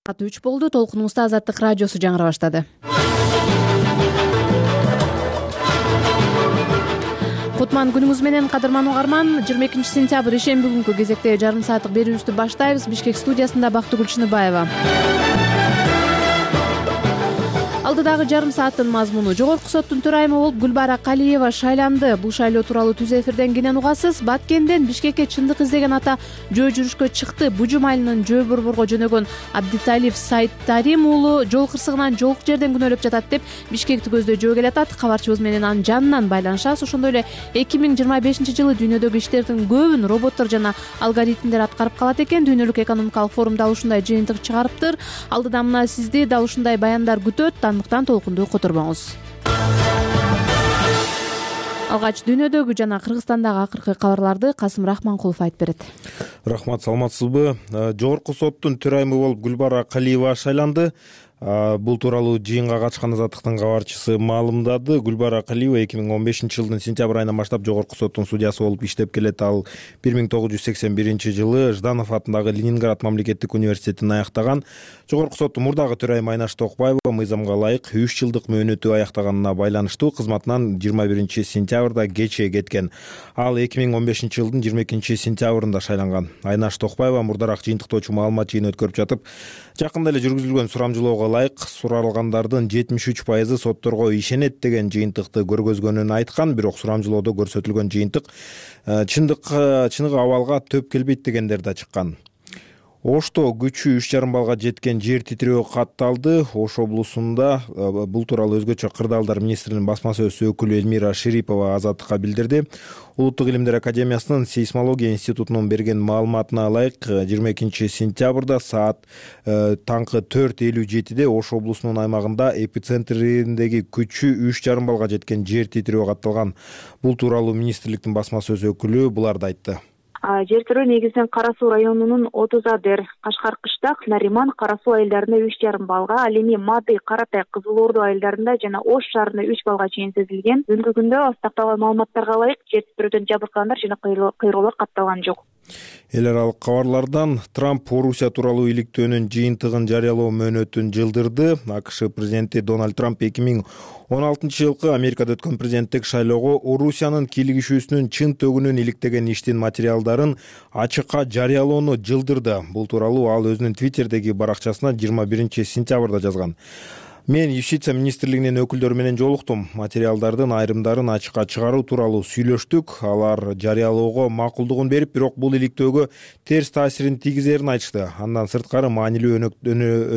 Саат 3 болду. Толкунубузда Азаттык радиосу жаңыра баштады. Кутман күнүңүз менен, кадырман угарман. 22 сентябрь ишемби күнкү кезекте жарым сааттык берүүбүздү баштайбыз. Бишкек студиясында Бактыгүл Чыныбаева. Алдыдагы жарым сааттын мазмуну: Жогорку соттун төрайымы болуп Гүлбара Калиева шайланды. Бул шайлоо тууралуу түз эфирден кенен угасыз. Баткенден Бишкекке чындык издеген ата жөө жүрүшкө чыкты. Бужум айылынын жөө борборго жөнөгөн Абдиталиев Сайттарим уулу жол кырсыгынан жолук жерден күнөөлөп жатат деп Бишкекти көздөй жөө келатат. Кабарчыбыз менен анын жанынан байланышабыз. Ошондой эле 2025-жылы дүйнөдөгү иштердин көбүн роботтор жана алгоритмдер аткарып калат экен. Дүйнөлүк экономикалык форум дал ушундай жыйынтык чыгарыптыр. Алдыда мына сизди дал ушундай баяндар күтөт. Андыктан толкунду которбоңуз. Алгач дүйнөдөгү жана Кыргызстандагы акыркы кабарларды Касым Рахманкулов айтып берет. Рахмат, саламатсызбы? Жогорку соттун төрайымы болуп Гүлбара Калиева шайланды. Бул тууралуу жыйынга катышкан Азаттыктын кабарчысы маалымдады. Гүлбара Калиева 2015-жылдын сентябрь айынан баштап Жогорку соттун судьясы болуп иштеп келет. Ал 1981-жылы Жданов атындагы Ленинград мамлекеттик университетин аяктаган. Жогорку соттун мурдагы төрайымы Айнаш Токпаева мыйзамга ылайык 3 жылдык мөөнөтү аяктаганына байланыштуу кызматынан 21-сентябрда кечээ кеткен. Ал 2015-жылдын 22-сентябрында шайланган. Айнаш Токпаева мурдараак жыйынтыктоочу маалымат жыйыны өткөрүп жатып, жакында эле жүргүзүлгөн сурамжылоого ылайык суралгандардын 73% сотторго ишенет деген жыйынтыкты көргөзгөнүн айткан. Бирок сурамжылоодо көрсөтүлгөн жыйынтык чыныгы абалга төп келбейт дегендер да чыккан. Ошто күчү 3,5 баллга жеткен жер титирөө катталды. Ош облусунда бул тууралуу өзгөчө кырдаалдар министринин басма сөз өкүлү Эльмира Шерипова Азаттыкка билдирди. Улуттук илимдер академиясынын сейсмология институтунун берген маалыматына ылайык 22-сентябрда саат таңкы 4:57 Ош облусунун аймагында эпицентриндеги күчү 3,5 баллга жеткен жер титирөө катталган. Бул тууралуу министрликтин басма сөз өкүлү буларды айтты. Жер титирөө негизинен Кара Суу районунун Отузадер, Кашкар Кыштак, Нариман, Кара Суу айылдарында 3,5 баллга, ал эми Мады, Каратай, Кызыл Орду айылдарында жана Ош шаарында 3 баллга чейин сезилген. Бүгүнкү күндө астакталган маалыматтарга ылайык жер титирөөдөн жабыркагандар жана кыйроолор катталган жок. Эл аралык кабарлардан: Трамп Орусия тууралуу иликтөөнүн жыйынтыгын жарыялоо мөөнөтүн жылдырды. АКШ президенти Дональд Трамп 2016-жылкы Америкада өткөн президенттик шайлоого Орусиянын кийлигишүүсүнүн чын төгүнүн иликтеген иштин материалдарын ачыкка жарыялоону жылдырды. Бул тууралуу ал өзүнүн Твиттердеги баракчасына 21-сентябрда жазган. Мен юстиция министрлигинин өкүлдөрү менен жолуктум. Материалдардын айрымдарын ачыкка чыгаруу тууралуу сүйлөштүк. Алар жарыялоого макулдугун берип, бирок бул иликтөөгө терс таасирин тийгизерин айтышты. Андан сырткары маанилүү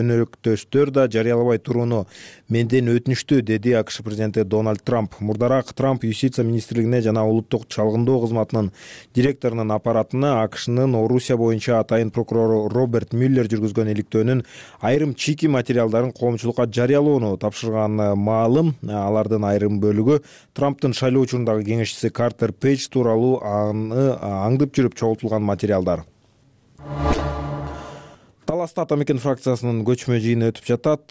өнөктөштөр да жарыялабай турууну менден өтүнүштү, деди АКШ президенти Дональд Трамп. Мурдараак Трамп юстиция министрлигине жана улуттук чалгындоо кызматынын директорунун аппаратына АКШнын Орусия боюнча атайын прокурору Роберт Мюллер жүргүзгөн иликтөөнүн айрым чийки материалдарын коомчулукка жарыялоону тапшырган маалым. Алардын айрым бөлүгү Трамптын шайлоо учурундагы кеңешчиси Картер Пейдж тууралуу аны аңдып жүрүп чогултулган материалдар. Таласта Атамекен фракциясынын көчмө жыйыны өтүп жатат.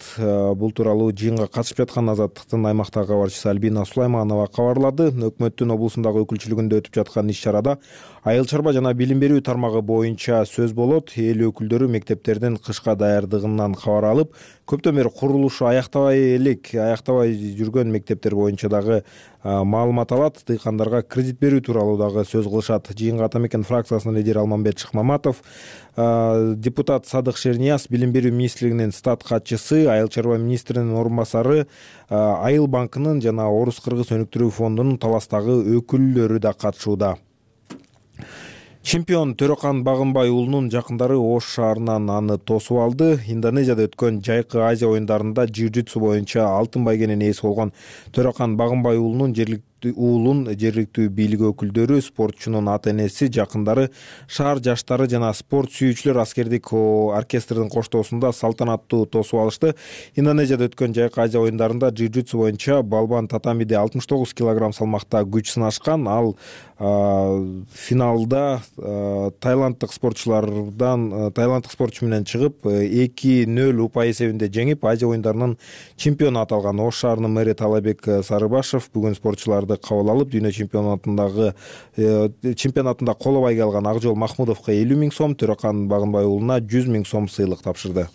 Бул тууралуу жыйынга катышып жаткан Азаттыктын аймактагы кабарчысы Альбина Сулайманова кабарлады. Өкмөттүн облусундагы өкүлчүлүгүндө өтүп жаткан иш-чарада айыл чарба жана билим берүү тармагы боюнча сөз болот. Эл өкүлдөрү мектептердин кышка даярдыгынан кабар алып, көптөн бери курулушу аяктабай жүргөн мектептер боюнча дагы маалымат алат. Дыйкандарга кредит берүү тууралуу дагы сөз кылышат. Жыйынга Атамекен фракциясынын лидери Алмамбет Шыкмаматов, депутат Садык Шернияз, билим берүү министрлигинин стат катчысы, айыл чарба министринин орун басары, Айыл банкынын жана Орус-Кыргыз өнүктүрүү фондунун Таластагы өкүлдөрү да катышууда. Чемпион Төрөкан Багынбай уулунун жакындары Ош шаарынан аны тосуп алды. Индонезияда өткөн жайкы Азия оюндарында джиу-джитсу боюнча алтын байгенин ээси болгон Төрөкан Багынбай уулунун жергиликтүү бийлик өкүлдөрү, спортчунун ата-энеси, жакындары, шаар жаштары жана спорт сүйүүчүлөр аскердик оркестрдин коштоосунда салтанаттуу тосуп алышты. Индонезияда өткөн жайкы Азия оюндарында джиу-джитсу боюнча балбан татамиде 69 кг салмакта күч сынашкан. Ал финалда тайландтык спортчу менен чыгып 2-0 упай эсебинде жеңип, Азия оюндарынын чемпиону аталган. Ош шаарынын мэри Талабек Сарыбашев бүгүн спортчуларды кабыл алып, дүйнө чемпионатында коло байге алган Акжол Махмудовго 50 000 сом, Төрөкан Багынбай уулуна 100 000 сом сыйлык тапшырды.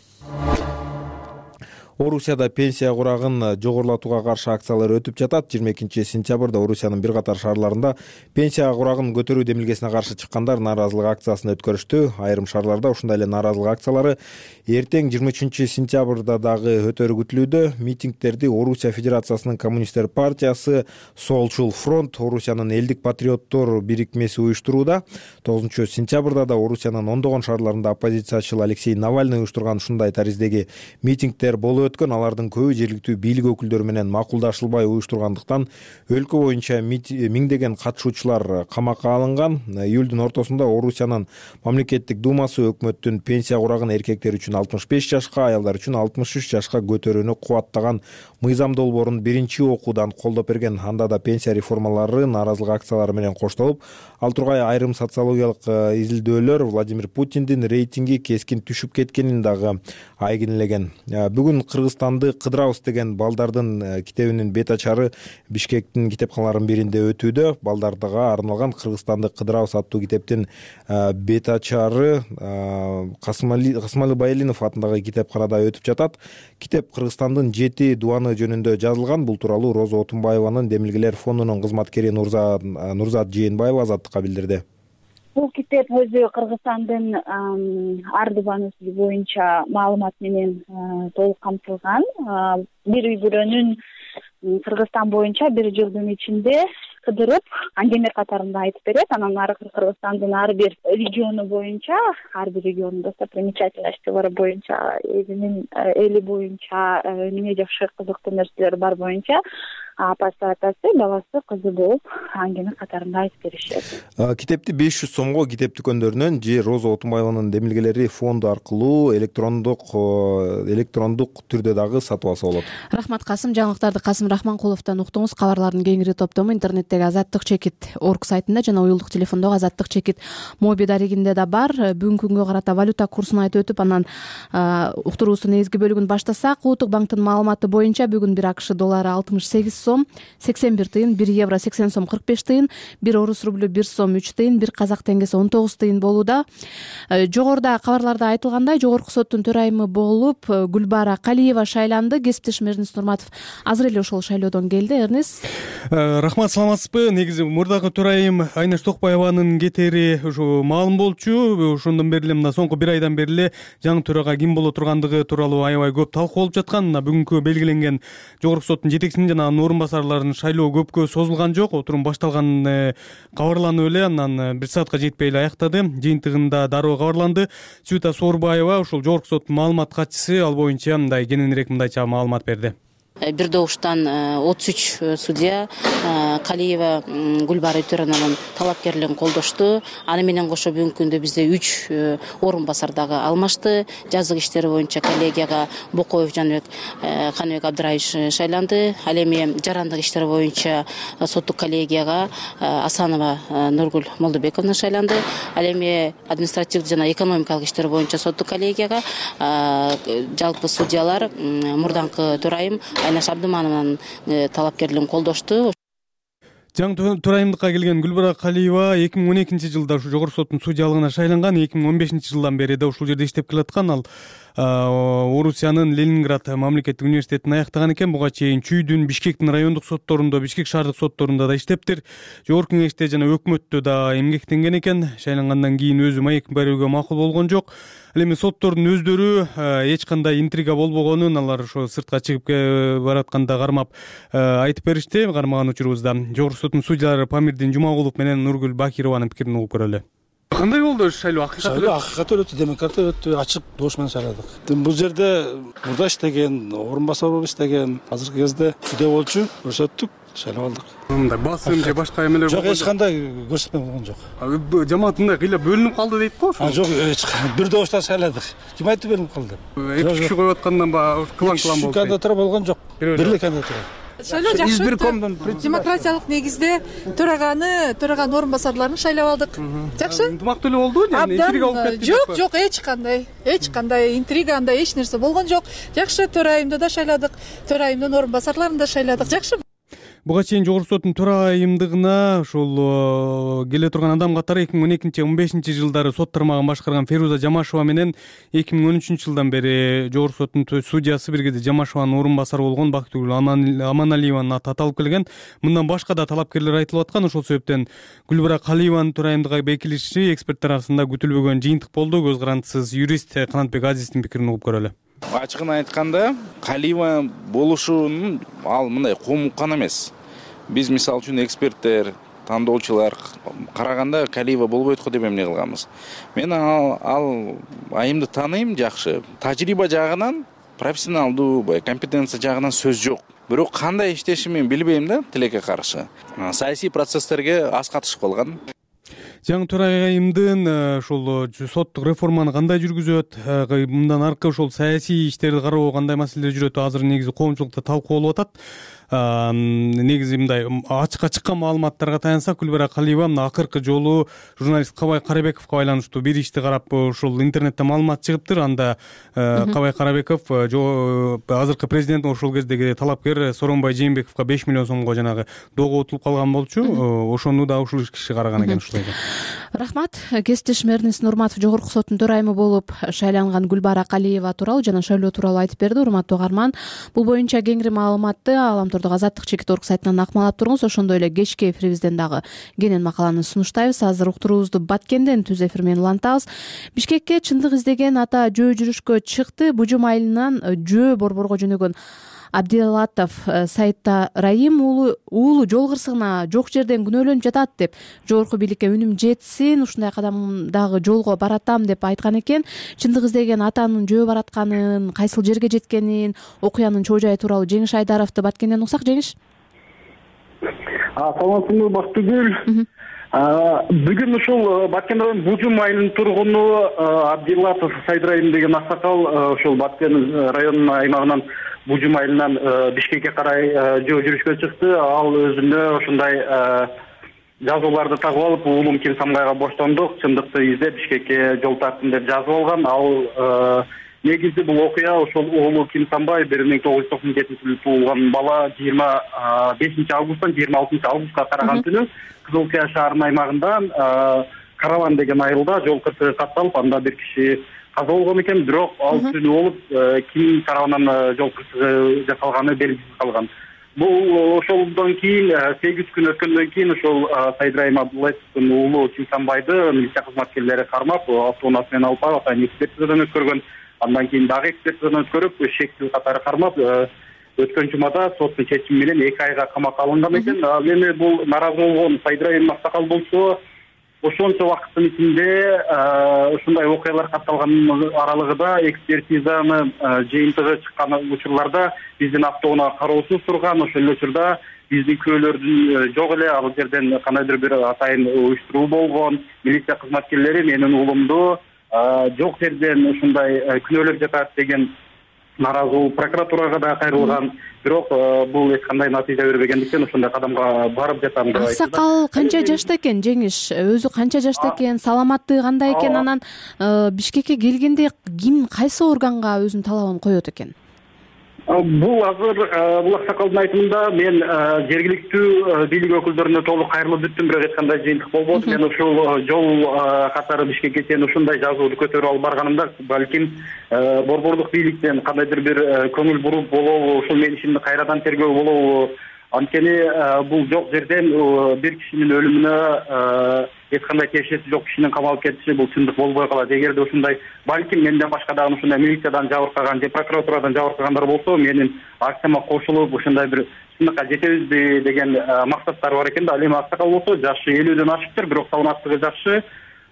Орусияда пенсия курагын жогорулатууга каршы акциялар өтүп жатат. 22-сентябрда Орусиянын бир катар шаарларында пенсия курагын көтөрүү демилгесине каршы чыккандар нааразылык акциясын өткөрүштү. Айрым шаарларда ушундай эле нааразылык акциялары эртең 23-сентябрда дагы өтөрү күтүлүүдө. Митингдерди Орусия Федерациясынын коммунисттер партиясы, Солчул фронт, Орусиянын элдик патриоттор бирикмеси уюштурууда. 9-сентябрда да Орусиянын ондогон шаарларында оппозициячыл Алексей Навальный уюштурган ушундай тариздеги митингдер болуп өткөн. Алардын көбү жергиликтүү бийлик өкүлдөрү менен макулдашылбай уюштургандыктан өлкө боюнча миңдеген катышуучулар камакка алынган. Июлдун ортосунда Орусиянын мамлекеттик думасы өкмөттүн пенсия курагын эркектер үчүн 65 жашка, аялдар үчүн 63 жашка көтөрүүнү кубаттаган мыйзам долбоорун биринчи окуудан колдоп берген. Анда да пенсия реформалары нааразылык акциялары менен коштолуп, ал тургай айрым социологиялык изилдөөлөр Владимир Путиндин рейтинги кескин түшүп кеткенин дагы айгинелеген. Бүгүн Кыргызстанды кыдырабыз деген балдардын китебинин бет ачары Бишкектин китепканаларынын биринде өтүүдө. Балдардага арналган Кыргызстанды кыдырабыз аттуу китептин бет ачары Касымали Байалинов атындагы китепканада өтүп жатат. Китеп Кыргызстандын 7 дубаны жөнүндө жазылган. Бул тууралуу Роза Отунбаеванын Демилгелер фондунун кызматкери Нурзат Жээнбаева азаттыкка билдирди. Бул китеп өзү Кыргызстандын ар дубаны боюнча маалымат менен толук камтылган. Бир үй бүлөнүн Кыргызстан боюнча бир жылдын ичинде кыдырып, аңгеме катарында айтып берет. Анан ары Кыргызстандын ар бир региону боюнча, ар бир региондун достопримечательностьтери боюнча, эли боюнча эмне жакшы кызыктуу нерселер бар боюнча апасы, атасы, баласы, кызы болуп аңгеме катарында айтып беришет. Китепти 500 сомго китеп дүкөндөрүнөн же Роза Отунбаеванын Демилгелери фонду аркылуу электрондук түрдө дагы сатып алса болот. Рахмат Касым. Жаңылыктарды Касым Рахманкуловдон уктуңуз. Кабарлардын кеңири топтому интернеттеги Азаттык чекит орг сайтында жана уюлдук телефондогу Азаттык чекит моби дарегинде да бар. Бүгүнкү күнгө карата валюта курсун айтып өтүп, анан уктуруубуздун негизги бөлүгүн баштасак, Улуттук банктын маалыматы боюнча бүгүн 1 АКШ доллары 68 сом 81 тыйын, 1 евро 80 сом 45 тыйын, 1 орус рублю 1 сом 3 тыйын, 1 казак теңгеси 19 тыйын болууда. Жогоруда кабарларда айтылгандай, жогорку соттун төрайымы болуп Гүлбара Калиева шайланды. Кесиптешим Эрнис Нурматов азыр эле ошол шайлоодон келди. Эрнис. Рахмат, саламатсызбы? Негизи мурдагы төрайым Айнаш Токпаеванын кетери ушу маалым болчу. Ошондон бери эле мына соңку 1 айдан бери эле жаңы төрага ким боло тургандыгы тууралуу аябай көп талкуу болуп жаткан. Мына бүгүнкү белгиленген жогорку соттун жетекчисинин жана анын орун басарларынын шайлоо көпкө созулган жок. Отурум башталган кабарланып эле анан 1 саатка жетпей эле аяктады. Жыйынтыгында дароо кабарланды. Сюта Соорбаева, ушул жогорку соттун маалымат катчысы, ал боюнча мындай кененирээк мындайча маалымат берди. Бир добуштан 33 судья Калиева Гүлбара Өтөрөнованын талапкерлигин колдошту. Аны менен кошо бүгүнкү күндө бизде 3 орун басар дагы алмашты. Жазык иштери боюнча коллегияга Бокоев Жаныбек Каныбек Абдыраевич шайланды. Ал эми жарандык иштери боюнча соттук коллегияга Асанова Нургүл Молдобековна шайланды. Ал эми административдик жана экономикалык иштери боюнча соттук коллегияга жалпы судьялар мурдаңкы төрайым Айнаш Абдыманованын талапкерлигин колдошту. Жаңы төрайымдыкка келген Гүлбара Калиева 2012-жылда ушу жогорку соттун судьялыгына шайланган. 2015-жылдан бери да ушул жерде иштеп келаткан. Ал Орусиянын Ленинград мамлекеттик университетин аяктаган экен. Буга чейин Чүйдүн, Бишкектин райондук сотторунда, Бишкек шаардык сотторунда да иштептир. Жогорку кеңеште жана өкмөттө да эмгектенген экен. Шайлангандан кийин өзү маек берүүгө макул болгон жок. Ал эми соттордун өздөрү эч кандай интрига болбогонун алар ошо сыртка чыгып баратканда кармап айтып беришти. Кармаган учурубузда жогорку соттун судьялары Памирдин Жумагулов менен Нургүл Бакированын пикирин угуп көрөлү. Кандай болду шайлоо? Акыйкат өтү, демократия өтү, ачык добуш менен шайладык. Бул жерде мурда иштеген, орун басар болуп иштеген, азыркы кезде судья болчу, көрсөттүк, шайлап алдык. Мындай басым же башка эмелер жок, эч кандай көрсөтмө болгон жок. Жамаат мындай кыйла бөлүнүп калды дейт го ошо? Жок, бир добуштан шайладык. Ким айтты бөлүнүп калды? 2 киши коюп аткандан ба кылаң болду. Кандидатура болгон жок. Бирлик кандидатура. Шайлоо жакшы өттү. Демократиялык негизде төраган орун басарларын шайлап алдык. Жакшы. Ынтымактуу эле болду, интрига болуп кетти. Жок, эч кандай интрига, андай эч нерсе болгон жок. Жакшы, төрайымды да шайладык, төрайымдын орун басарларын да шайладык. Жакшы. Буга чейин Жогорку соттун төрайымдыгына ошол келе турган адам катары 2012-15 жылдары сот тармагын башкарган Феруза Жамашева менен 2013 жылдан бери Жогорку соттун судьясы бир кезде Жамашеванын орун басары болгон Бактыгүл Аманалиеванын аты аталып келген. Мындан башка да талапкерлер айтылып аткан. Ошол себептен Гүлбара Калиеванын төрайымдыкка бекилиши эксперттер арасында күтүлбөгөн жыйынтык болду. Көз карандысыз юрист Канатбек Азиздин пикирин угуп көрөлү. Ачыгын айтканда, Калиева болушунун ал мындай коомдук гана эмес. Биз мисалы үчүн эксперттер, тандоочулар караганда Калиева болбойт го деп эмне кылганбыз. Мен ал айымды тааныйм жакшы. Тажрыйба жагынан, профессионалдуу, компетенция жагынан сөз жок. Бирок кандай иштешин мен билбейм да, тилекке каршы. Саясий процесстерге аз катышып калган. Жаңы төрайымдын ошол соттук реформаны кандай жүргүзөт, мындан аркы ошол саясий иштерди кароо кандай маселелер жүрөт, азыр негизи коомчулукта талкууланып атат. Негизи мындай ачыкка чыккан маалыматтарга таянсак, Гүлбара Калиева акыркы жолу журналист Кабай Карабековго байланыштуу бир ишти карап ошол интернетте маалымат чыгыптыр. Анда Кабай Карабеков азыркы президент ошол кездеги талапкер Сооронбай Жээнбековго 5 миллион сомго жанагы доого утулуп калган болчу. Ошону да ушул киши караган экен ушулай. Рахмат. Кесиптешим Эрнест Нурматов Жогорку соттун төрайымы болуп шайланган Гүлбара Калиева тууралуу жана шайлоо тууралуу айтып берди. Урматтуу угарман, бул боюнча кеңири маалыматты Аламтордук Азаттык Чекит.орг сайтынан акмалап туруңуз. Ошондой эле кечки эфирибизден дагы кенен макаланы сунуштайбыз. Азыр уктуруубузду Баткенден түз эфир менен улантабыз. Бишкекке чындык издеген ата жөө жүрүшкө чыкты. Бужум айылынан жөө борборго жөнөгөн Абдилатов Сайта Раим уулу жол кырсыгына жок жерден күнөөлөнүп жатат деп жогорку бийликке үнүм жетсин, ушундай кадамдагы жолго баратам деп айткан экен. Чындык издеген атанын жөө баратканын, кайсыл жерге жеткенин, окуянын чоо жайы тууралуу Жеңиш Айдаровду Баткенден угсак. Жеңиш. Саламатсызбы Бактыгүл. Бүгүн ушул Баткен районунун Бужум айылынын тургуну Абдилатов Сайт Раим деген аксакал ушул Баткен районунун аймагынан Бужум айылынан Бишкекке карай жөө жүрүшкө чыкты. Ал өзүнө ошондой жазууларды тагып алып, уулум Ким Самгайга боштондук, чындыкты издеп Бишкекке жол тарттым деп жазып алган. Ал негизи бул окуя ошол уулу Ким Самбай 1997-жылы туулган бала 25 августтан 26 августка караган түнү Кызыл Кыя шаарынын аймагында Караван деген айылда жол кырсыгы катталып, анда бир киши каза болгон экен. Бирок ал түнү болуп, ким тарабынан жол кырсыгы жасалганы белгисиз калган. Бул ошолдон кийин 8 күн өткөндөн кийин ошол Сайт Раим Абдуллаевдин уулу Ким Самбайды милиция кызматкерлери кармап, автоунаа менен алып барып, атайын экспертизадан өткөргөн. Андан кийин дагы экспертизадан өткөрүп, шектүү катары кармап, өткөн жумада соттун чечими менен 2 айга камакка алынган экен. Ал эми бул нааразы болгон Сайт Раим аксакал болсо, ошончо убакыттын ичинде ушундай окуялар катталган аралыгында экспертизаны жыйынтыгы чыккан учурларда биздин автоунаа кароосуз турган. Ошол эле учурда биздин күбөлөрдүн жок эле, ал жерден кандайдыр бир атайын уюштуруу болгон. Милиция кызматкерлери менин уулумду жок жерден ушундай күнөөлөп жатат деген нааразылык прокуратурага да кайрылган. Бирок бул эч кандай натыйжа бербегендиктен ошондой кадамга барып жатам деп айтты. Аксакал канча жашта экен, Жеңиш? Өзү канча жашта экен? Саламаттыгы кандай экен? Анан Бишкекке келгенде ким, кайсы органга өзүнүн талабын коет экен? Бул азыр бул аксакалдын айтымында мен жергиликтүү бийлик өкүлдөрүнө толук кайрылып бүттүм, бирок эч кандай жыйынтык болбоду. Мен ушул жол катары Бишкекке чейин ушундай жазууду көтөрүп алып барганымда балким борбордук бийликтен кандайдыр бир көңүл буруп болобу, ушул менин ишимди кайрадан тергөө болобу. Анткени бул жок жерден бир кишинин өлүмүнө эч кандай тиешеси жок кишинин камалып кетиши бул чындык болбой калат. Эгерде ушундай балким менден башка дагы ушундай милициядан жабыркаган же прокуратурадан жабыркагандар болсо, менин акцияма кошулуп ушундай бир чындыкка жетебизби деген максаттары бар экен да. Ал эми аксакал болсо жашы 50дөн ашыптыр, бирок саламаттыгы жакшы.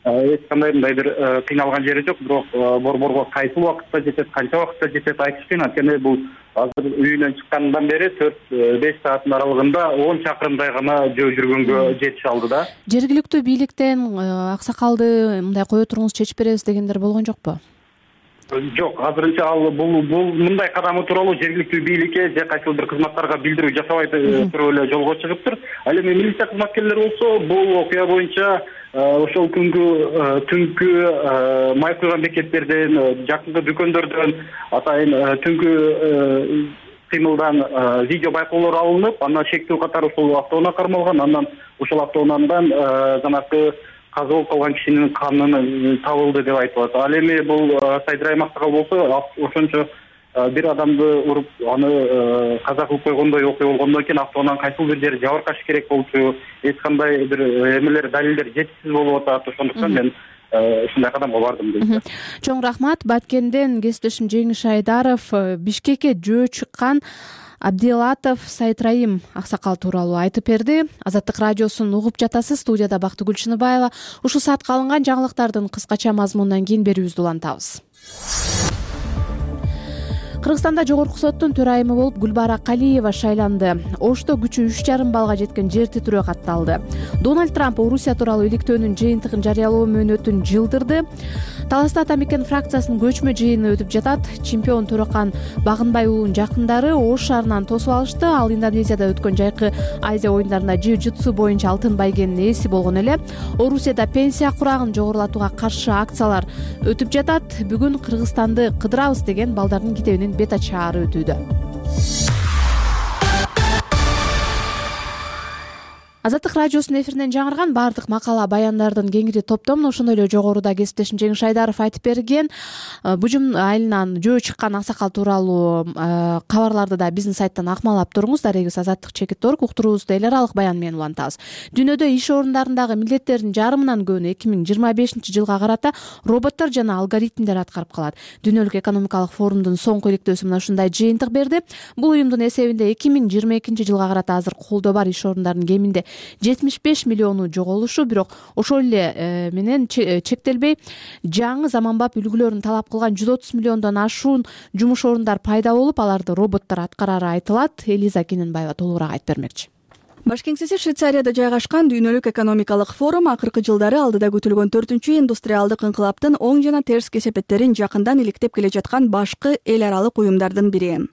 Эч кандай мындай бир кыйналган жери жок, бирок борборго кайсыл убакытта жетет, канча убакытта жетет айтыш кыйын. Анткени бул азыр үйүнөн чыккандан бери 4-5 сааттын аралыгында 10 чакырымдай гана жөө жүргөнгө жетише алды да. Жергиликтүү бийликтен аксакалды мындай кое туруңуз, чечип беребиз дегендер болгон жокпу? Жок, азырынча ал бул мындай кадамы тууралуу жергиликтүү бийликке же кайсыл бир кызматтарга билдирүү жасабай туруп эле жолго чыгыптыр. Ал эми милиция кызматкерлери болсо бул окуя боюнча ошол түнкү май куйган бекеттерден, жакынкы дүкөндөрдөн, атайын түнкү кыймылдан видео байкоолор алынып, андан чектөө катары ушул автоунаа кармалган. Андан ушул автоунаандан жанагы каза болуп калган кишинин каны табылды деп айтылат. Ал эми бул Сайдрайым аксакал болсо ошончо бир адамды уруп аны каза кылып койгондой окуя болгондон кийин автоунаанын кайсыл бир жери жабыркаш керек болчу, эч кандай бир эмелер, далилдер жетишсиз болуп атат. Ошондуктан мен ушундай кадамга бардым дейт. Чоң рахмат. Баткенден кесиптешим Жеңиш Айдаров Бишкекке жөө чыккан Абдилатов Сайдрайым аксакал тууралуу айтып берди. Азаттык радиосун угуп жатасыз. Студияда Бактыгүл Чыныбаева. Ушул саатка алынган жаңылыктардын кыскача мазмунунан кийин берүүбүздү улантабыз. Кыргызстанда жогорку соттун төрайымы болуп Гүлбара Калиева шайланды. Ошто күчү 3,5 баллга жеткен жер титирөө катталды. Дональд Трамп Орусия тууралуу иликтөөнүн жыйынтыгын жарыялоо мөөнөтүн жылдырды. Таласта Атамекен фракциясынын көчмө жыйыны өтүп жатат. Чемпион Төрөкан Багынбай уулунун жакындары Ош шаарынан тосуп алышты. Ал Индонезияда өткөн жайкы Азия оюндарында жиу-джитсу боюнча алтын байгенин ээси болгон эле. Орусияда пенсия курагын жогорулатууга каршы акциялар өтүп жатат. Бүгүн Кыргызстанды кыдырабыз деген балдардын китебинин бет ачаары өтүүдө. Азаттык радиосунун эфиринен жаңырган баардык макала баяндардын кеңири топтомун ошондой эле жогоруда кесиптешим Жеңиш Айдаров айтып берген Бужум айылынан жөө чыккан аксакал тууралуу кабарларды да биздин сайттан акмалап туруңуз. Дарегибиз azattik.org. Уктуруубузду эл аралык баян менен улантабыз. Дүйнөдө иш орундарындагы милдеттердин жарымынан көбүнү 2025-жылга карата роботтор жана алгоритмдер аткарып калат. Дүйнөлүк экономикалык форумдун соңку иликтөөсү мына ушундай жыйынтык берди. Бул уюмдун эсебинде 2022-жылга карата азыр колдо бар иш орундарынын кеминде 75 миллиону жоголушу, бирок ошол эле менен чектелбей жаңы заманбап үлгүлөрүн талап кылган 130 миллиондон ашуун жумуш орундар пайда болуп, аларды роботтор аткарары айтылат. Элиза Кененбаева толугураак айтып бермекчи. Баш кеңсеси Швейцарияда жайгашкан дүйнөлүк экономикалык форум акыркы жылдары алдыда күтүлгөн 4-индустриалдык инкылаптын оң жана терс кесепеттерин жакындан иликтеп келе жаткан башкы эл аралык уюмдардын бири.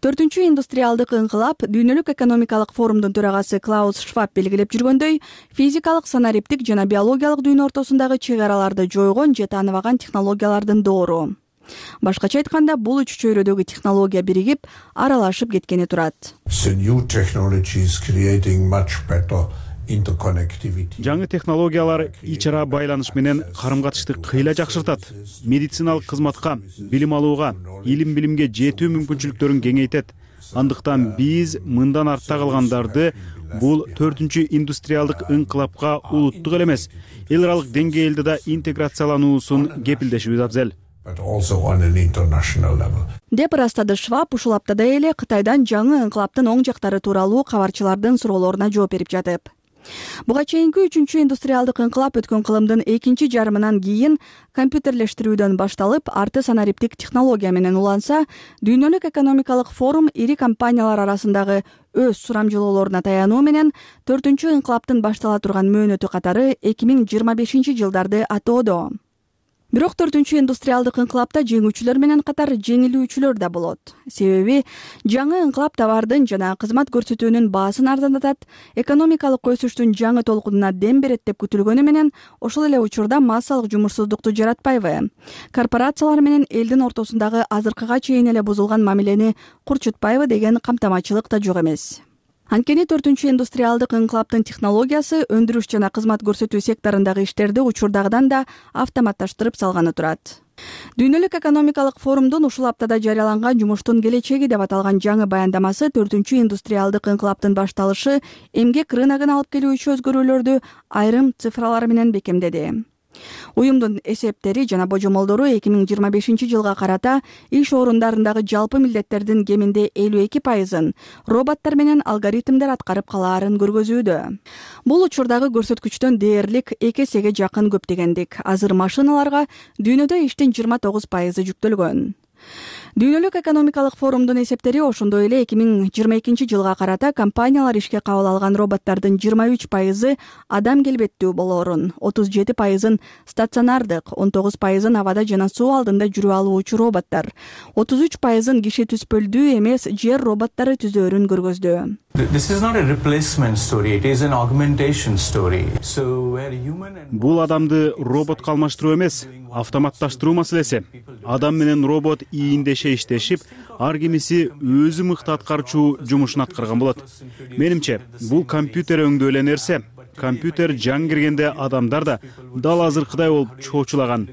4-индустриалдык инкылап дүйнөлүк экономикалык форумдун төрагасы Клаус Шваб белгилеп жүргөндөй, физикалык, санариптик жана биологиялык дүйнө ортосундагы чек араларды жойгон же тааныбаган технологиялардын доору. Башкача айтканда, бул үч чөйрөдөгү технология биригип, аралашып кеткени турат. Жаңы технологиялар ич ара байланыш менен карым-катышты кыйла жакшыртат. Медициналык кызматка, билим алууга, илим-билимге жетүү мүмкүнчүлүктөрүн кеңейтет. Андыктан биз мындан артта калгандарды бул 4-индустриалдык инкылапка улуттук эле эмес, эл аралык деңгээлде да интеграциялануусун кепилдешибиз абзел. Деп ырастады Шваб ушул аптада эле Кытайдан жаңы инкылаптын оң жактары тууралуу кабарчылардын суроолоруна жооп берип жатып. Буга чейинки 3-индустриалдык инкылап өткөн кылымдын экинчи жарымынан кийин компьютерлештирүүдөн башталып, арты санариптик технология менен уланса, дүйнөлүк экономикалык форум ири компаниялар арасындагы өз сурамжылоолоруна таянуу менен 4-инкылаптын баштала турган мөөнөтү катары 2025-жылдарды атоодо. Бирок 4-индустриалдык инкылапта жеңүүчүлөр менен катар жеңилүүчүлөр да болот. Себеби жаңы инкылап товардын жана кызмат көрсөтүүнүн баасын арзандатат, экономикалык өсүштүн жаңы толкунуна дем берет деп күтүлгөнү менен, ошол эле учурда массалык жумушсуздукту жаратпайбы? Корпорациялар менен элдин ортосундагы азыркыга чейин эле бузулган мамилени курчутпайбы деген камтамачылык да жок эмес. Анткени 4-индустриалдык инкылаптын технологиясы өндүрүш жана кызмат көрсөтүү секторундагы иштерди учурдагыдан да автоматташтырып салганы турат. Дүйнөлүк экономикалык форумдун ушул аптада жарыяланган жумуштун келечеги деп аталган жаңы баяндамасы 4-индустриалдык инкылаптын башталышы эмгек рыногун алып келүүчү өзгөрүүлөрдү айрым цифралар менен бекемдеди. Уюмдун эсептери жана божомолдору 2025-жылга карата иш орундарындагы жалпы милдеттердин кеминде 52%-ын роботтор менен алгоритмдер аткарып калаарын көргөзүүдө. Бул учурдагы көрсөткүчтөн дээрлик 2 эсеге жакын көп дегендик. Азыр машиналарга дүйнөдө иштин 29% жүктөлгөн. Дүйнөлүк экономикалык форумдун эсептери ошондой эле 2022-жылга карата компаниялар ишке кабыл алган роботтордун 23% адам келбеттүү болоорун, 37% стационардык, 19% абада жана суу алдында жүрүп алуучу роботтор, 33% киши түспөлдүү эмес жер роботтору түзөөрүн көргөздү. This is not a replacement story, it is an augmentation story. So where human and Бул адамды роботко алмаштыруу эмес, автоматташтыруу маселеси. Адам менен робот ийиндеше иштешип, ар кимиси өзү мыкты аткарчу жумушун аткарган болот. Менимче, бул компьютер өңдөө эле нерсе. Компьютер жаңы киргенде адамдар да дал азыркыдай болуп чоочулаган.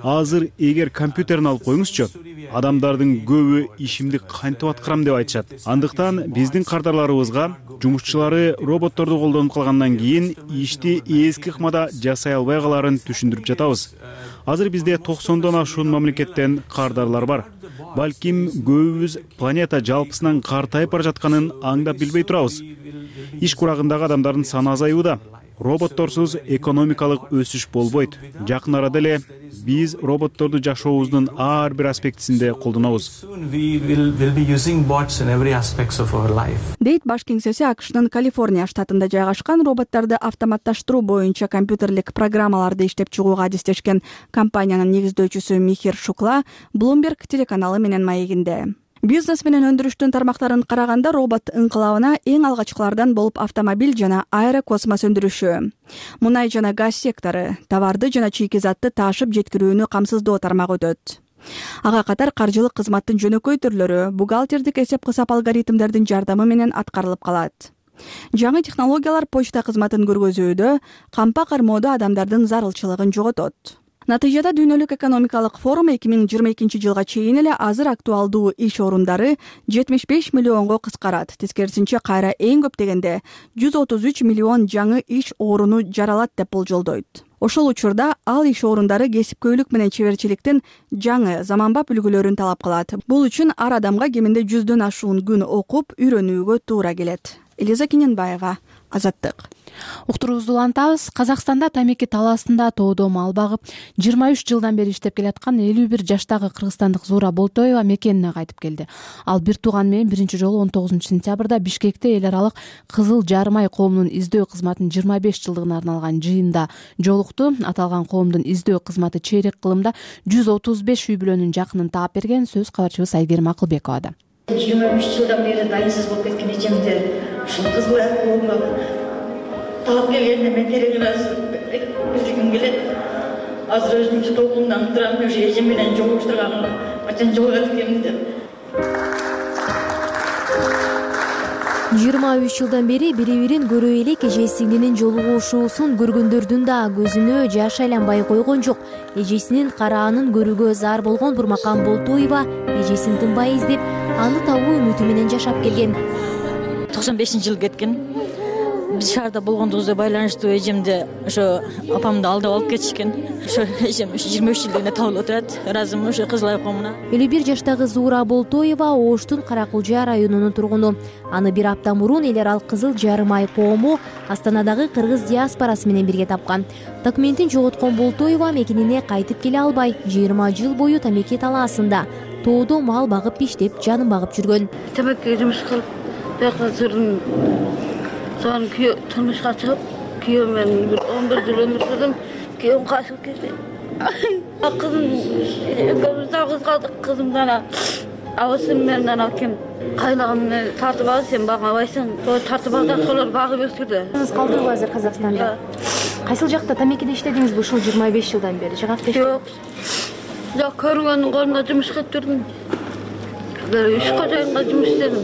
Азыр эгер компьютерин алып коюңузчу, адамдардын көбү ишимди кантип аткарам деп айтышат. Андыктан биздин кардарларыбызга жумушчулары роботторду колдонуп калгандан кийин ишти эски ыкмада жасай албай каларын түшүндүрүп жатабыз. Азыр бизде 90дон ашуун мамлекеттен кардарлар бар. Балким көбүбүз планета жалпысынан картайып бара жатканын аңдап билбей турабыз. Иш курагындагы адамдардын саны азаюуда. Роботторсуз экономикалык өсүш болбойт. Жакын арада эле биз роботторду жашообуздун ар бир аспектисинде колдонобуз. Дейт баш кеңсеси АКШнын Калифорния штатында жайгашкан роботторду автоматташтыруу боюнча компьютерлик программаларды иштеп чыгууга адистешкен компаниянын негиздөөчүсү Михир Шукла Bloomberg телеканалы менен маегинде. Бизнес менен өндүрүштүн тармактарын караганда робот ыңкылабына эң алгачкылардан болуп автомобиль жана аэрокосмос өндүрүшү, мунай жана газ сектору, товарды жана чийки затты ташып жеткирүүнү камсыздоо тармагы өтөт. Ага катар каржылык кызматтын жөнөкөй түрлөрү бухгалтердик эсеп-кысап алгоритмдердин жардамы менен аткарылып калат. Жаңы технологиялар почта кызматын көргөзүүдө кампа кармоодо адамдардын зарылчылыгын жоготот. Натыйжада дүйнөлүк экономикалык форум 2022 жылга чейин эле азыр актуалдуу иш орундары 75 миллионго кыскарат. Тескерисинче кайра эң көп дегенде 133 миллион жаңы иш орунду жаралат деп болжолдойт. Ошол учурда ал иш орундары кесипкөйлүк менен чеберчиликтин жаңы заманбап үлгүлөрүн талап кылат. Бул үчүн ар адамга кеминде 100дөн ашуун күн окуп үйрөнүүгө туура келет. Элиза Кененбаева, Азаттык. Уктуруубузду улантабыз. Казакстанда тамеки талаасында тоодо мал багып, 23 жылдан бери иштеп келаткан 51 жаштагы кыргызстандык Зуура Болтоева мекенине кайтып келди. Ал бир тууганы менен биринчи жолу 19 сентябрда Бишкекте эл аралык Кызыл Жарым ай коомунун издөө кызматынын 25 жылдыгына арналган жыйында жолукту. Аталган коомдун издөө кызматы чейрек кылымда 135 үй бүлөнүн жакынын таап берген. Сөз кабарчыбыз Айгерим Акылбековада. 23 жылдан бери дайынсыз болуп кеткен эжемди ушул Кызыл Ай коомуна таап келгенине мен тереңирээк билдиргим келет. Азыр өзүмчө толкундан турам, уже эжем менен жолугуштурганга качан жолугат экенмин деп. 23 жылдан бери бири-бирин көрө элек эжесинин жолугушуусун көргөндөрдүн да көзүнө жаш айланбай койгон жок. Эжесинин караанын көрүүгө зар болгон Бурмакан Болтоева эжесин тынбай издеп, аны табуу үмүтү менен жашап келген. 95-жыл кеткен. Биз шаарда болгондугубузга байланыштуу эжемди ошо апамды алдап алып кетишкен. Ошо эжем 23 жылдан бери табылып отурат. Ыраазымын ошо Кызыл Ай коомуна. 51 жаштагы Зуура Болтоева Оштун Каракулжа районунун тургуну. Аны бир апта мурун эл аралык Кызыл Жарым ай коому Астанадагы кыргыз диаспорасы менен бирге тапкан. Документин жоготкон Болтоева мекенине кайтып келе албай, 20 жыл бою тамеки талаасында тоодо мал багып иштеп, жанын багып жүргөн. Тамеки жумуш кылып, жакта жүрдүм. Son turmuşa çıkıp, köyüm ben 11 yıl ömür sürdüm, köyüm kaçıp gitti. Kızım, kız kaldık kızımdan, avusum benden hakim. Kaynağımı tartıp al, sen bana baysın, tartıp al da solar bağı götürdü. Siz kaldınız hazır Kazakistan'da. Kaysıl jakta tamekide işlediniz bu 25 yıldan beri? Yok. Yok, körüngenin kolunda jumuş kılıp durdum. Böyle 3 kocayanla jumuş istedim.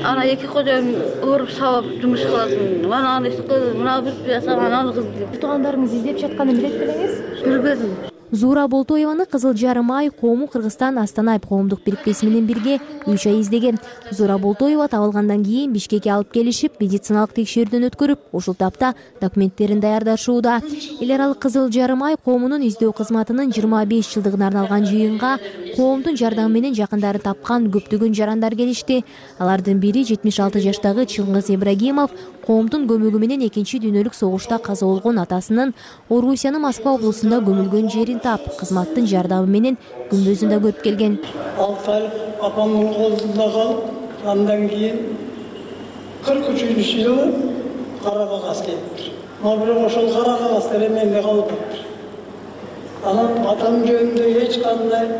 Ana 2 kocayan uğurup sabap jumuş kılasın. Bana anı kız, bana bir yasan analı kız diyor. Туғандарыңыз издеп жатканын билет белеңиз? Билбедим. Зуура Болтоеваны Кызыл Жарым ай коому Кыргызстан Астана айып коомдук бирикмеси менен бирге 3 ай издеген. Зуура Болтоева табылгандан кийин Бишкекке алып келишип, медициналык текшерүүдөн өткөрүп, ушул тапта документтерин даярдашууда. Эл аралык Кызыл Жарым ай коомунун издөө кызматынын 25 жылдыгына арналган жыйынга коомдун жардамы менен жакындарын тапкан көптөгөн жарандар келишти. Алардын бири 76 жаштагы Чыңгыз Ибрагимов коомдун көмөгү менен Экинчи дүйнөлүк согушта каза болгон атасынын Орусиянын Москва облусунда көмүлгөн жерин тап, кызматтын жардамы менен күнбөзүн да көрүп келген. 6 ай апамдын колунда калып, андан кийин 43 жылы кара кагаз келиптир. Бирок ошол кара кагаз деле менде калып атат. Анан атам жөнүндө эч кандай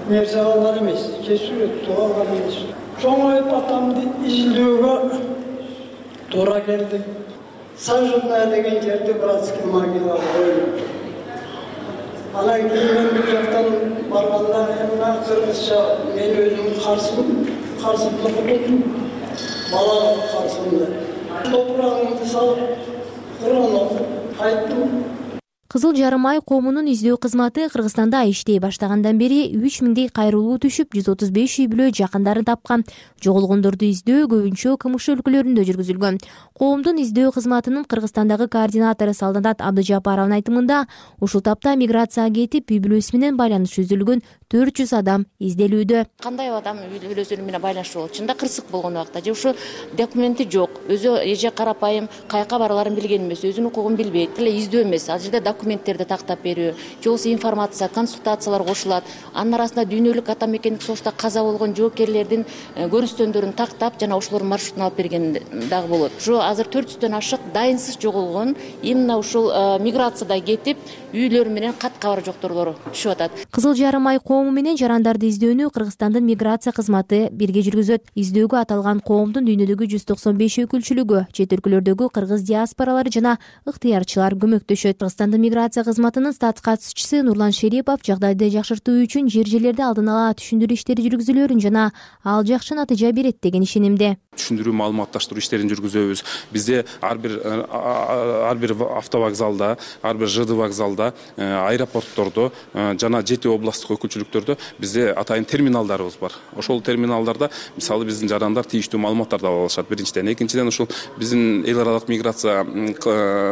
нерсе калган эмес, кесип тугалган эмес. чоңоюп атамды изилдөөгө туура келди. Сажына деген жерде братский могила коюлуп. Анан кийин мен бул жактан барганда мына кыргызча мен өзүм карсымды кутудум. Балам карсымды. Топурагымды салып, Куран окуп кайттым. Кызыл жарым ай коомунун издөө кызматы Кыргызстанда иштей баштагандан бери 3000 кайрылуу түшүп, 135 үй бүлө жакындарын тапкан. Жоголгондорду издөө көбүнчө КМШ өлкөлөрүндө жүргүзүлгөн. Коомдун издөө кызматынын Кыргызстандагы координатору Салданат Абдыжапаровдун айтымында, ушул тапта миграцияга кетип, үй бүлөсү менен байланыш үзүлгөн 400 адам изделүүдө. Кандай адам үй бүлөсү менен байланышы болот? Чында кырсык болгон убакта же ушу документи жок, өзү эже карапайым кайка бараарын билген эмес, өзүнүн укугун билбейт, эле издөө эмес. Ал жерде документтерди тактап берүү, же болбосо информация, консультациялар кошулат. Анын арасында дүйнөлүк ата мекендик согушта каза болгон жоокерлердин көрүстөндөрүн тактап, жана ошолордун маршрутун алып берген дагы болот. Ушу азыр 400дөн ашык дайынсыз жоголгон, именно ушул миграцияда кетип, үйлөрү менен кат кабар жокторлор түшүп атат. Кызыл жарым ай коому менен жарандарды издөөнү Кыргызстандын миграция кызматы бирге жүргүзөт. Издөөгө аталган коомдун дүйнөдөгү 195 өкүлчүлүгү, чет өлкөлөрдөгү кыргыз диаспоралары жана ыктыярчылар көмөктөшөт. Кыргызстандын миграция кызматынын статс катышуучусу Нурлан Шерипов жагдайды жакшыртуу үчүн жер-жерлерде алдын ала түшүндүрүү иштери жүргүзүлөөрүн жана ал жакшы натыйжа берет деген ишенимде. Түшүндүрүү маалыматташтыруу иштерин жүргүзөбүз. Бизде ар бир автовокзалда, ар бир ЖД вокзалда, аэропорттордо жана 7 областтык өкүлчүлүктөрдө бизде атайын терминалдарыбыз бар. Ошол терминалдарда мисалы биздин жарандар тийиштүү маалыматтарды ала алышат. Биринчиден, экинчиден ушул биздин эл аралык миграция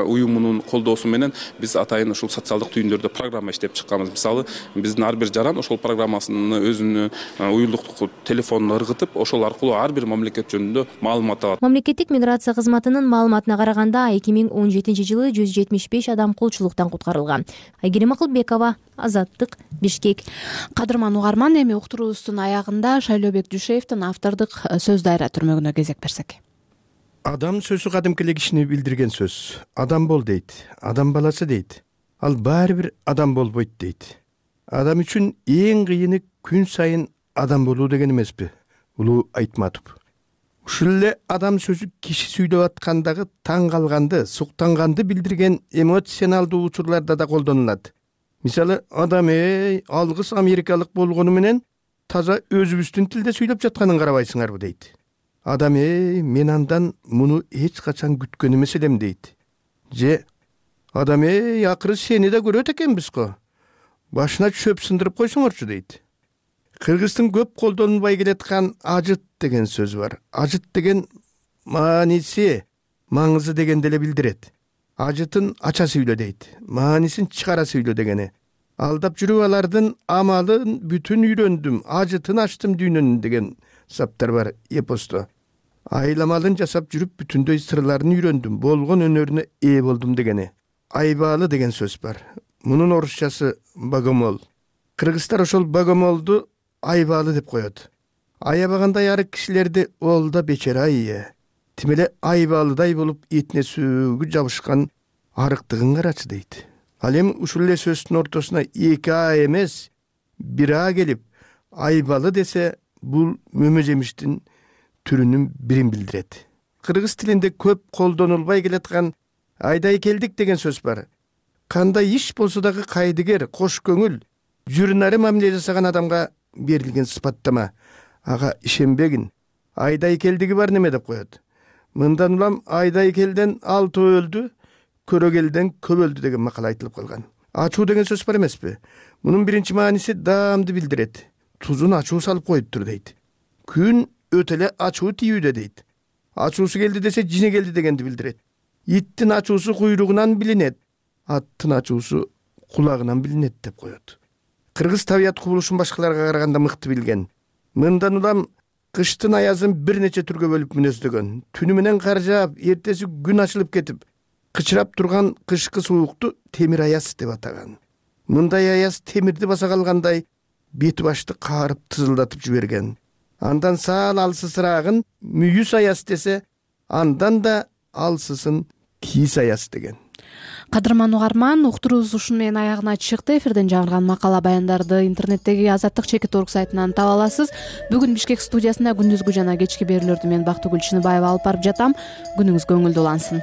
уюмунун колдоосу менен биз атайын ушул социалдык түйүндөрдө программа иштеп чыкканбыз. Мисалы биздин ар бир жаран ошол программасыны өзүнүн уюлдук телефонуна ыргытып, ошол аркылуу ар бир мамлекет жөнүндө маалымат алат. Мамлекеттик миграция кызматынын маалыматына караганда 2017-жылы 175 адам кулчулуктан куткарылган. Айгерим Акылбекова, Азаттык, Бишкек. Кадырман угарман, эми уктуруубуздун аягында Шайлообек Дүйшеевдин автордук сөз дайра түрмөгүнө кезек берсек. Адам сөзү кадимки эле кишини билдирген сөз. Адам бол дейт, адам баласы дейт. Ал баары бир адам болбойт дейт. Адам үчүн эң кыйыны күн сайын адам болуу деген эмеспи? Улуу Айтматов. Ушул эле адам сөзү киши сүйлөп аткандагы таң калганды, суктанганды билдирген эмоционалдуу учурларда да колдонулат. Мисалы, адам алгыс америкалык болгону менен таза өзүбүздүн тилде сүйлөп жатканын карабайсыңарбы дейт. Адам мен андан муну эч качан күткөн эмес элем дейт. Же адам акыры сени да көрөт экенбиз го. Башына чөп сындырып койсоңорчу дейт. Кыргыздын көп колдонулбай келаткан ажыт деген сөз бар. Ажыт деген мааниси, маңызы дегенди эле билдирет. Ажытын ача сүйлө дейт. Маанисин чыгара сүйлө дегени. Алдап жүрүп алардын амалын бүтүн үйрөндүм, ажытын ачтым дүйнөнүн деген саптар бар эпосто. Айламалын жасап жүрүп бүтүндөй сырларын үйрөндүм, болгон өнөрүнө ээ болдум дегени. Айбаалы деген сөз бар. Мунун орусчасы богомол. Кыргыздар ошол богомолду айбаалы деп коет. Аябагандай арык кишилерди ол да бечара тим эле айбаалыдай болуп этине сөөгү жабышкан арыктыгын карачы дейт. Ал эми ушул эле сөздүн ортосуна 2 эмес 1 келип айбалы десе, бул мөмө жемиштин түрүнүн бирин билдирет. Кыргыз тилинде көп колдонулбай келаткан айдай келдик деген сөз бар. Кандай иш болсо дагы кайдыгер, кош көңүл, жүрүнары мамиле жасаган адамга берилген сыпаттама. Ага ишенбегин. Айдай келдиги бар неме деп коет. Мындан улам айдай келден 6 өлдү, көрөгелден көп өлдү деген макал айтылып калган. Ачуу деген сөз бар эмеспи? Мунун биринчи мааниси даамды билдирет. Тузун ачуу салып коюптур дейт. Күн өтө эле ачуу тийүүдө дейт. Ачуусу келди десе жине келди дегенди билдирет. Иттин ачуусу куйругунан билинет, аттын ачуусу кулагынан билинет деп коет. Кыргыз табият кубулушун башкаларга караганда мыкты билген. Мындан улам кыштын аязын бир нече түргө бөлүп мүнөздөгөн. Түнү менен кар жаап, эртеси күн ачылып кетип, кычырап турган кышкы суукту темир аяз деп атаган. Мындай аяз темирди баса калгандай бети башты каарып тызылдатып жиберген. Андан саал алсысыраагын мүйүс аяз десе, андан да алсысын кийиз аяз деген. Кадырман угарман, уктуруубуз ушуну менен аягына чыкты. Эфирден жаңырган макала баяндарды интернеттеги Азаттык Чекит.org сайтынан таба аласыз. Бүгүн Бишкек студиясында күндүзгү жана кечки берүүлөрдү мен Бактыгүл Чыныбаева алып барып жатам. Күнүңүз көңүлдүү улансын.